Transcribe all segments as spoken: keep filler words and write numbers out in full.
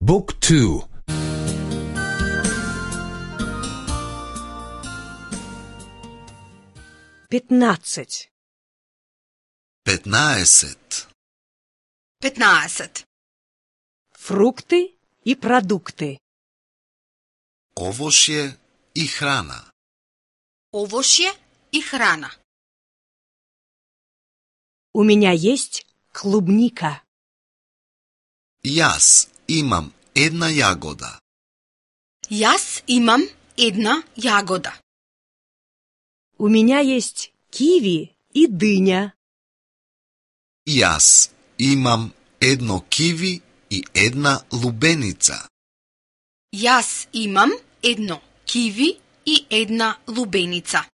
Book two. Пятнадцать. Петнаесет. петнаесет. Фрукты и продукты. Овошје и храна. Овошје и храна. У меня есть клубника. Јас имам една јагода. Јас имам една јагода. У меня есть киви и дыня. Јас имам едно киви и една лубеница. Јас имам едно киви и една лубеница.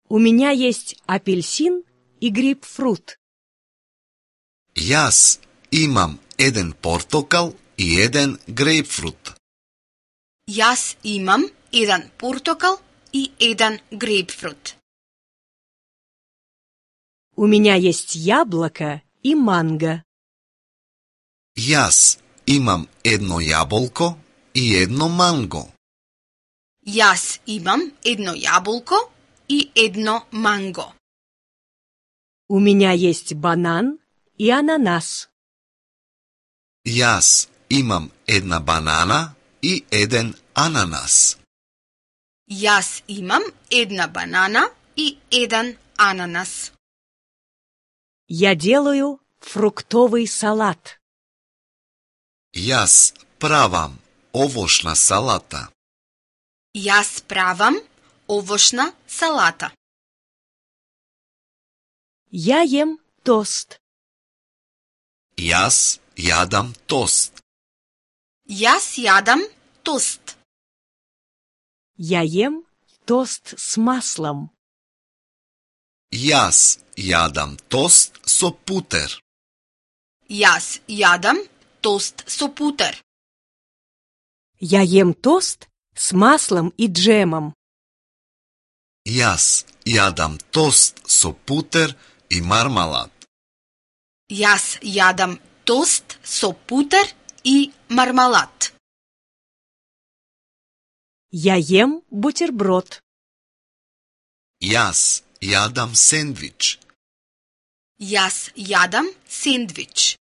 У меня есть апельсин и грейпфрут. Јас имам еден портокал и еден грейпфрут. Јас имам еден портокал и еден грейпфрут. У меня есть яблоко и манго. Јас имам едно јаболко и едно манго. Јас имам едно јаболко и едно манго. У меня есть банан и ананас. Јас имам една банана и еден ананас. Јас имам една банана и еден ананас. Я делаю фруктовый салат. Јас правам овошна салата. Јас правам овошна салата. Я ем тост. Јас јадам тост. Јас јадам тост. Я ем тост с маслом. Јас јадам тост со путер. Јас јадам тост со путер. Я ем тост с маслом и джемом. Јас јадам тост со путер и мармалад. Јас јадам тост со путер и мармалад. Я ем бутерброд. Јас јадам сендвич. Јас јадам сендвич.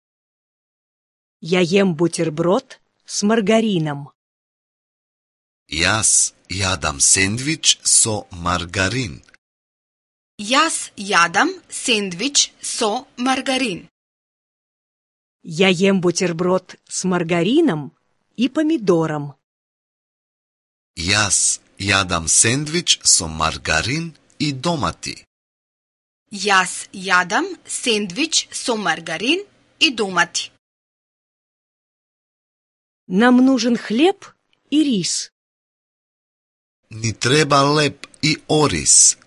Я ем бутерброд с маргарином. Јас јадам сендвич со маргарин. Јас јадам сендвич со маргарин. Я ем бутерброд с маргарином и помидором. Јас јадам сендвич со маргарин и домати. Јас јадам сендвич со маргарин и домати. Нам нужен хлеб и рис. Ни треба леп и ориз.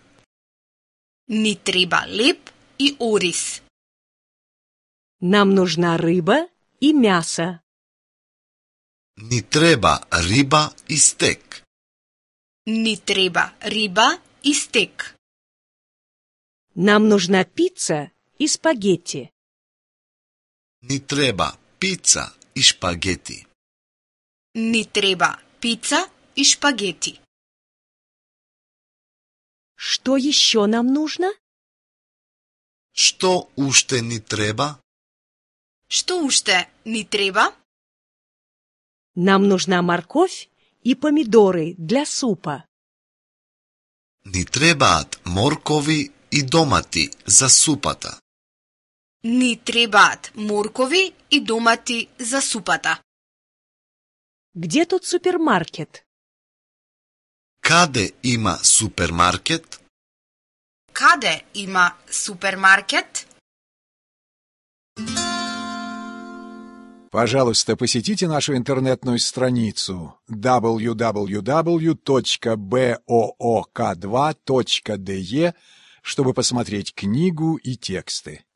Ни треба леп и ориз. Нам нужна рыба и мясо. Ни треба риба и стек. Ни треба риба и стек. Нам нужна пицца и спагетти. Ни треба пица и шпагети. Ни треба пица и шпагети. Что еще нам нужно? Што уште ни треба? Што уште ни треба? Нам нужна морковь и помидоры для супа. Ни требаат моркови и домати за супата. Ни требаат моркови и домати за супата. Где тут супермаркет? Каде има супермаркет? Каде има супермаркет? Пожалуйста, посетите нашу интернетную страницу дабл ю дабл ю дабл ю точка боок два точка де, чтобы посмотреть книгу и тексты.